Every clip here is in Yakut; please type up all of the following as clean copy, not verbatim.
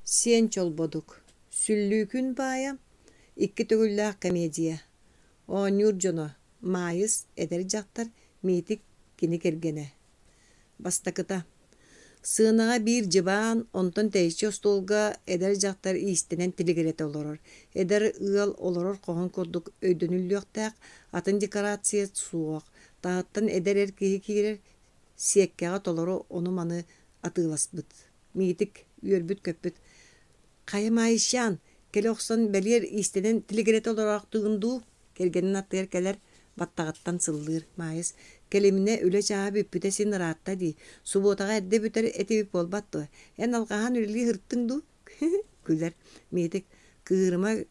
Сиэн Чолбодук, Сүллүүкүн баайа, икки төгүллээх комедия. Оонньуур дьоно: Маайыс, эдэр дьахтар, Миитик, кини кэргэнэ. Бастакыта. Сыанаҕа биир дьыбаан, онтон тэйиччи остуолга эдэр дьахтар иистэнэн тилигирэтэ олорор. Эдэр ыал олорор хоһун курдук өйдөнүллүөхтээх, атын декорация суох. Таһыттан эдэр эр киһи киирэр, сиэккэҕэ толору ону-маны атыыласпыт. Миитик үөрбүт-көппүт: «Хайа, Маайысчаан, кэлэ охсон бэлиэр иистэнэн тилигирэтэ олороохтугун дуу?» Кэргэнин аттыгар кэлэр, баттаҕыттан сыллыыр. Маайыс: «Кэлиминэ, үлэ чааһа бүппүтэ син ыраатта дии. Субуотаҕа эрдэ бүтэр этибит буолбат дуо? Эн алҕаһаан үлэлии сырыттыҥ дуу?» Күлэр. Миитик: «Кыырыма,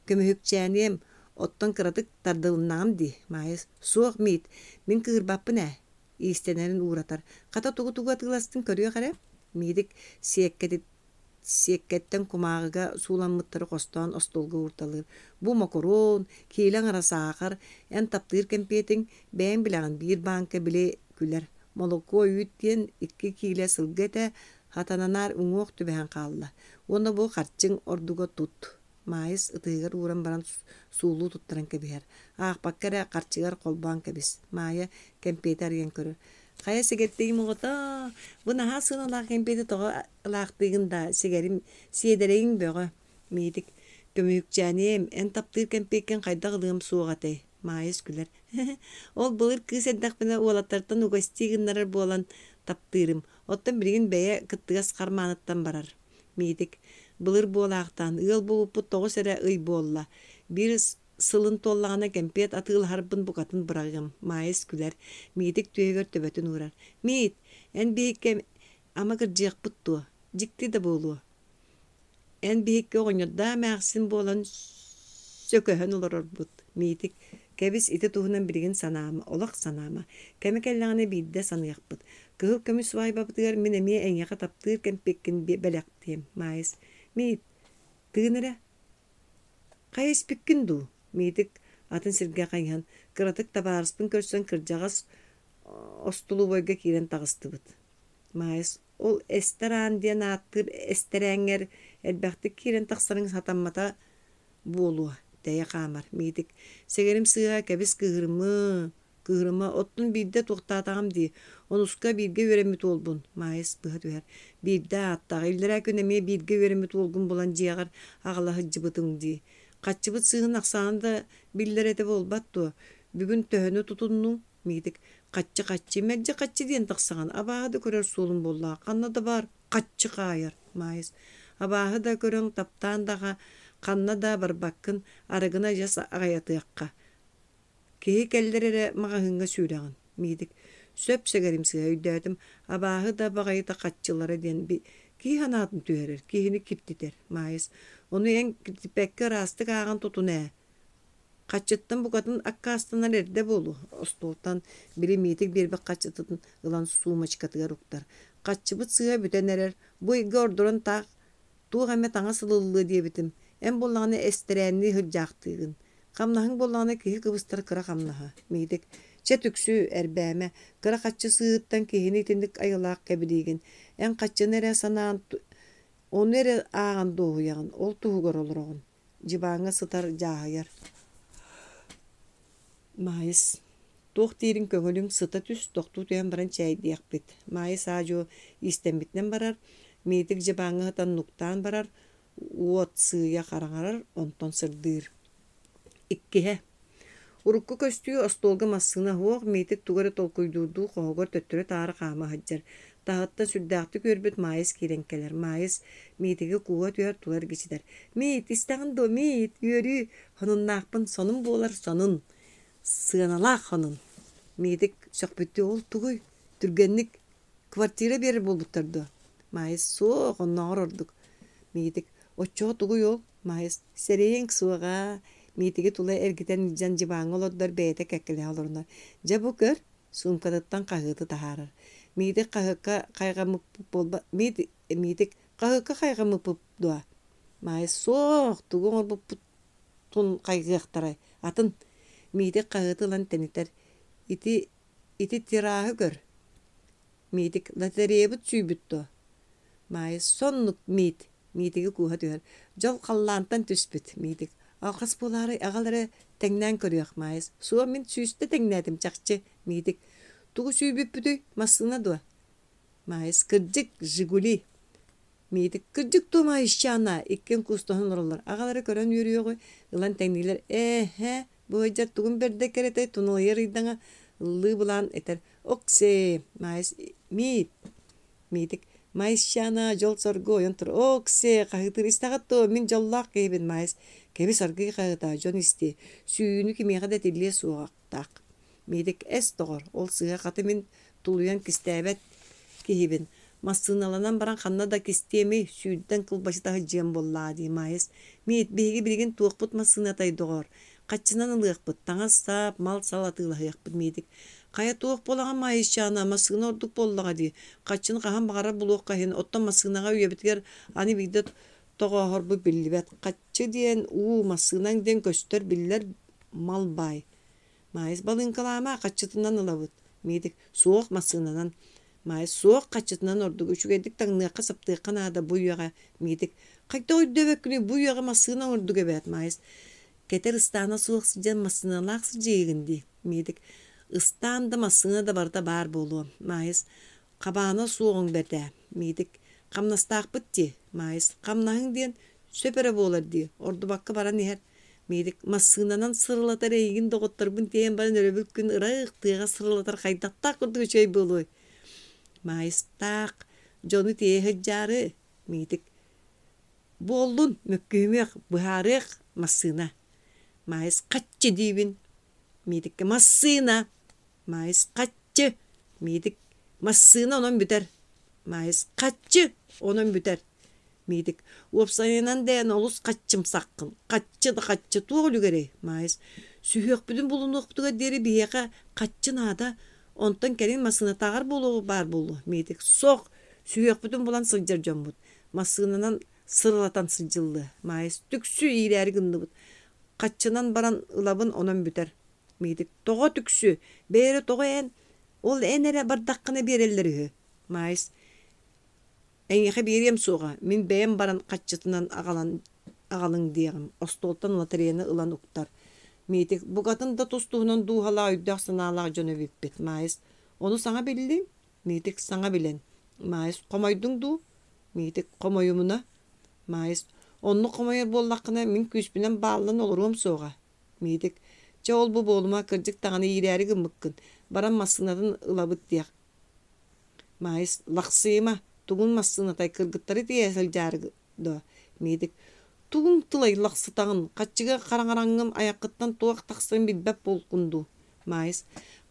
көмүһүкчээниэм, оттон кыратык тардылыннаҕым дии». Маайыс: «Суох, Миит, мин кыырбаппын ээ» иистэнэрин ууратар. Хата тугу-тугу атыыластын көрүөх эрэ. Миитик сиэккэттэн кумааҕыга сууламмыттары хостоон остуолга уурталыыр. Бу мокоруон, киилэ аҥара саахар, эн таптыыр кэмпиэтиҥ, бэйэҥ билэҕин биир бааҥка били күлэр. Молокуо үүт диэн 2 киилэ сылгы этэ, хатананаар уҥуох түбэһэн хаалла. Уонна бу харчыҥ ордуга тут. Маайыс ытыһыгар ууран баран суулуу туттаран кэбиһэр. Аахпакка эрэ харчыгар холбоон кэбис. Маайа кэмпиэти арыйан көрөр. Хайа сэгэртиим оҕото, бу наһаа сыаналаах кэмпиэти тоҕо ылаахтыыгын да, сигэрим, сиэдэрэйиҥ бөҕө. Миитик, көмүһүкчээниэм, эн таптыыр кэмпиэккин хайдах ылыам суоҕа этэй? Маайыс күлэр. Ол былыр кыыс эрдэхпинэ уолаттартан угостии гыннарар буолан таптыырым. Оттон билигин бэйэ кыттыгас хармааныттан барар. Миитик, былыр буолаахтаан, ыал буолбуппут 9 эрэ ый буолла. Биир сылын туоллаҕына кэмпиэт атыылаһарбын букатын быраҕыам. Маайыс күлэр. Миитик түөһүгэр төбөтүн уурар. Миит, эн биһикки ама кырдьыахпыт дуо? Дьикти да буолуо. Эн биһикки оҕонньордоох эмээхсин буолан сөкөһөн олорорбут. Миитик, кэбис ити туһунан билигин санаама, олох санаама. Кэмэ кэллэҕинэ биирдэ саныахпыт. Кыһыл көмүс свадьбабытыгар мин эмиэ эйиэхэ таптыыр кэмпиэккин бэлэхтиэм, Маайыс. Миит, тыын эрэ. Хайа испиккин дуу? Миитик атын сиргэ хайыһан, кыратык табаарыспын көрсөн кырдьаҕас остулубуойга киирэн таҕыстыбыт. Маайыс, ол эстэр аан диэн ааттыыр эстэрээҥҥэр элбэхтик киирэн тахсарыҥ сатаммата буолуо, тэйэ хаамар. Миитик, сэгэрим сыыһа, кэбис кыыһырымыы, Кыыһырыма, оттон биирдэ туохтаатаҕым дии, онуска бииргэ үөрэммит уолбун, Маайыс быһа түһэр. Биирдэ ааттаах, иллэрээ күн эмиэ бииргэ үөрэммит уолгун булан дьиэҕэр аҕала сылдьыбытыҥ дии. Хаччыбыт сыыһын ахсаана да биллэр этэ буолбат дуо? Бүгүн төһөнү тутуннуҥ? Миитик, хаччы-хаччы, мэлдьи хаччы диэн тахсаҕын, абааһы да көрөр суолум буоллаҕа, ханна да баар хаччы хаайар, Маайыс. Абааһы да көрөн, таптаан да ханна да барбаккын, арыгыны адьас аҕыйатыахха. Киһи кэллэр эрэ маҕаһыыҥҥа сүүрэҕин, Миитик. Сөп сэгэрим сыыһа өйдөөтүм, абааһы да баҕайыта хаччылара диэн киһи санаатын түһэрэр, киһини киртитэр, Маайыс. Ону эн киртиппэккэ ыраастык ааҕан тутун ээ. Хаччыттан букатын аккаастанар эрдэ буолуо. Остуолтан били Миитик биэрбит хаччытын ылан суумачкатыгар уктар. Хаччыбыт сыыһа бүтэн эрэр, бу ыйга ордорон таах туох эмэ таҥас ылыллыа диэбитим. Эн буоллаҕына эстэрээннии сылдьаахтыыгын. Хамнаһыҥ буоллаҕына киһи кыбыстар кыра хамнаһа. Миитик, чэ түксү, эрбээмэ, кыра хаччы сыыһыттан киһини итинник айылаах кэбилиигин. Эн хаччыны эрэ санаан, ону эрэ ааҕан дуоһуйаҕын, ол туһугар олороҕун. Дьыбааҥҥа сытар дьааһыйар. Маайыс, туох диирин көҥүлүҥ сыта түс, тохтуу түһэн баран чээйдиэхпит. Маайыс аа-дьуо иистэммитинэн барар, Миитик дьыбааҥҥа сытан нуктаан барар, уот сыыйа хараҥарар, онтон сырдыыр. Иккиһэ. Урукку көстүү остуолга массыына суох, Миитик тугу эрэ толкуйдуурдуу хоһугар төттөрү-таары хаама сылдьар. Таһыттан сүрдээхтик үөрбүт Маайыс киирэн кэлэр. Маайыс Миитиги кууһа түһэр, тула эргичитэр. «Миит, истэҕин дуо, Миит, үөрүү, сонуннаахпын, сонун буолар, сонун, сыаналаах сонун!» Миитик сөхпүттүү «Ол тугуй? Түргэнник Квартира биэрэр буолбуттар дуо? Маайыс суох, оннооҕор ордук. Миитик оччоҕо тугуй ол? Маайыс сэрэйиэҥ суоҕа. Миитиги тула эргитэн илдьэн дьыбааҥҥа олордор бэйэтэ кэккэлэһэ олорунар. Дьэ бу көр, суумкатыттан хаһыаты таһаарар. Миитик хаһыакка хайҕаммыппыт буолба Миитик хаһыакка хайҕаммыппыт дуо? Маайыс суох, тугу оҥорбуппутун хайҕыахтарай? Атын Миитик хаһыаты ылан тэнитэр. Ити Ити тираһы көр, Миитик, лотереябыт сүүйбүт дуо? Маайыс, соннук Миит. Миитиги кууһа түһэр. Дьол халлаантан түспүт, Миитик. Алҕас буолаары аҕал эрэ тэҥнээн көрүөх, Маайыс. Суох, мин сүүстэ тэҥнээтим чахчы, Миитик. Тугу сүүйбүппүтүй, массыына дуо? Маайыс. Кырдьык, Жигули. Миитик. Кырдьык дуо, Маайысчаана? Иккиэн куустаһан олороллор. Аҕал эрэ көрөн үөрүөҕү, ылан тэҥниилэр. Ээ-һэ, бу ыалдьар тугун бэрдэ кэрэтэй, туналыйар ыйдаҥа, ыллыы былаан этэр. Оксээ, Маайыс. Миит. Миитик «Маайысчаана, дьол-соргу ойон тур, оок-сиэ, хаһыытыыр истэҕит дуо, мин дьоллоох киһибин, Маайыс, кэбис аргыый хаһыытаа, дьон истиэ, сүүйүүнү кимиэхэ да этиллиэ суоҕахтаах». Миитик «Эс, доҕор, ол сыыһа хата мин тулуйан кистээбэт киһибин, массыыналанан баран ханна да кистиэмий, сүүрдэн кылбачыта сылдьыам буоллаҕа дии, Маайыс, Миит, биһиги билигин туохпут массыынатай, доҕоор, Хаччынан ылыахпыт, таҥас-сап, мал-сал атыылаһыахпыт Миитик. Хайа туох буолаҕын Маайысчаана, массыына ордук буоллаҕа дии. Хаччыны хаһан баҕарар булуохха иһин, оттон массыынаҕа үйэбитигэр аны биирдэ тоҕооһорбут биллибэт. Хаччы диэн уу, массыынаҥ диэн көстөр, биллэр мал баай. Маайыс балыыҥкалаама, хаччытынан ылабыт. Миитик, суох массыынанан. Маайыс, суох хаччытынан ордук үчүгэйдик таҥныахха-саптыахха наада бу үйэҕэ. Миитик, хайдах өйдөөбөккүнүй бу үйэҕэ массыына ордук эбээт, Маайыс. Кэтэр ыстаана суох сылдьан массыыналаах сылдьыыгын дии, Миитик. Ыстаан да массыына да барыта баар буолуо, Маайыс. Хабаана суоҕуҥ бэрт ээ, Миитик. Хамнастаахпыт дии, Маайыс. Хамнаһыҥ диэн сөп эрэ буолар дии, ордубакка баран иһэр. Миитик. Массыынанан сырылатар эйигин доҕотторбун тиэйэн баран өрөбүл күн ыраах тыаҕа сырылатар хайдахтаах курдук үчүгэй буолуой? Маайыстаах дьону тиэйэ сылдьаары, Миитик. Буоллун, мөккүһүмүөх, быһаарыах массыына. Маайыс хаччы диибин. Миитиккэ массыына. Маайыс хаччы. Миитик массыына онон бүтэр. Маайыс хаччы онон бүтэр. Миитик уопсайынан дээн олус хаччымсаххын. Хаччы да хаччы туох үлүгэрэй? Маайыс сүһүөхпүтүн булунуохпутугар диэри биһиэхэ хаччы наада. Онтон кэлин массыынатааҕар буолуо баар буолуо. Миитик сох сүһүөхпүтүн булан сылдьар дьоммут. Массыынанан сырылатан сылдьыллыа. Маайыс түксү иирээри гынныбыт. Хаччынан баран ылабын онон бүтэр. Миитик тоҕо түксү? Бэйэрэ тоҕо эн? Ол эн эрэ бардаххына биэрэллэр үһү. Маайыс эйиэхэ биэриэм суоҕа, мин бэйэм баран хаччытынан аҕалан аҕалыҥ диэҕим. Остуолтан лотереяны ылан уктар. Миитик букатын да тус-туһунан дууһалаах өйдөөх-санаалаах дьон эбиппит. Маайыс ону саҥа биллиҥ? Миитик саҥа билэн. Маайыс хомойдуҥ дуу? Миитик хомойумуна. Маайыс оннук хомойор буоллаххына мин күүспүнэн бааллан олоруом суоҕа. Миитик чэ ол-бу буолума кырдьык даҕаны иирээри гыммыккын. Баран массыынатын ылабыт диэх. Маайыс лахсыйыма тугун массыынатай кыргыттары тиэйэ сылдьаары дуо? Миитик тугуҥ тылай лахсытаҕын хаччыга хараҥараҥҥын айаххыттан туох тахсарын билбэт буолкун дуу? Маайыс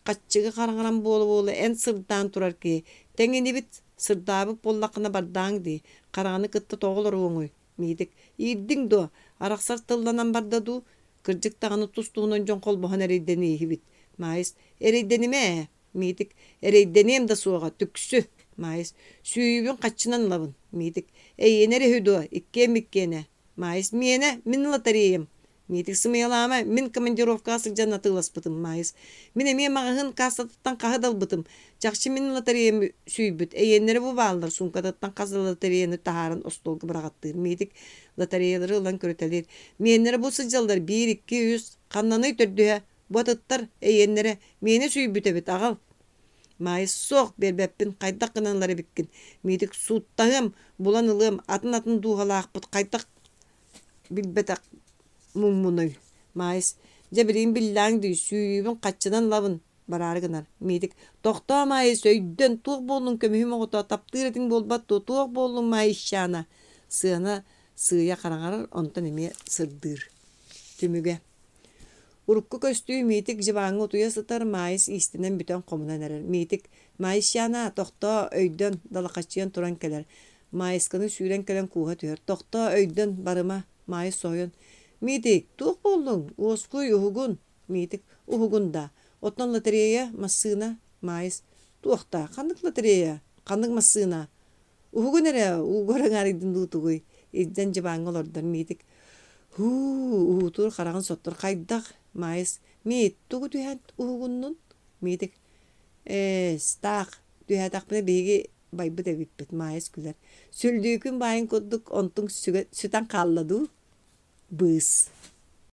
хаччыга хараҥаран буола-буола эн сырдаан турар киһи тэҥинибит сырдаабыт буоллаххына бардааҥ дии хараҥаны кытта тоҕо олоруоҥуй Миитик иирдиҥ дуо арахсар тылланан барда дуу кырдьык даҕаны тус-туһунан дьон холбоһон эрэйдэнииһибит Маайыс эрэйдэнимэ ээ Миитик эрэйдэниэм да суоҕа түксү Маайыс сүүйүүбүн хаччынан ылабын Миитик эйиэнэ эрэ үһү дуо иккиэн иккиэнэ Маайыс миэнэ мин лотереям Миитик сымыйалаама, мин командировкаҕа сылдьан атыыласпытым, Маайыс. Мин эмиэ маҕаһыын кассатыттан хаһы да ылбытым. Чахчы мин лотереям сүүйбүт. Эйиэннэрэ бу бааллар, суумкатыттан хас да лотереяны таһааран остуолга быраҕаттыыр. Миитик лотереялары ылан көрүтэлиир. Миэннэрэ бу сылдьаллар, биир, икки, үс, ханнаный төрдүһэ? Бу атыттар, эйиэннэрэ, миэнэ сүүйбүт эбит, аҕал. Маайыс суох, биэрбэппин, хайдах гынан ылар эбиккин? Миитик сууттаһыам, булан ылыам, атын-атын дууһалаахпыт, хайдах билбэтэх муҥмунуй Маайыс дьэ билигин биллээҥ дии сүүйүүбүн хаччынан ылабын бараары гынар Миитик тохтоо Маайыс өйдөн туох буоллуҥ көмүһүм оҕото таптыыр этиҥ буолбат дуо туох буоллуҥ Маайысчаана сыана сыыйа хараҥарар онтон эмиэ сырдыыр Түмүгэ Урукку көстүү Миитик дьыбааҥҥа утуйа сытар Маайыс иистэнэн бүтэн хомунан эрэр Миитик Маайысчаана тохтоо өйдөн далахаччыйан туран кэлэр Маайысканы сүүрэн кэлэн кууһа түһэр: «Тохтоо, өйдөн, барыма!» Маайыс соһуйан: «Миитик, туох буоллуҥ? Уоскуй, уһугун!» Миитик: «Уһугун да? Оттон лотерея, массыына?» Маайыс: «Туох даа? Ханнык лотерея? Ханнык массыына?» «Уһугун эрэ, уугар аҥаарыйдын дуу тугуй?» Илдьэн дьыбааҥҥа олордор Миитик: «Һуу, уһуутуур хараҕын соттор хайдах?» Маайыс: «Миит, тугу түһээн уһугуннун?» Миитик: «Ээ, таах, түһээтэхпинэ биһиги. Байбыт эбиппит, Маайыс күлэр. Сүллүүкүн баайын курдук, онтуҥ сүтэн хаалла дуу? Быыс.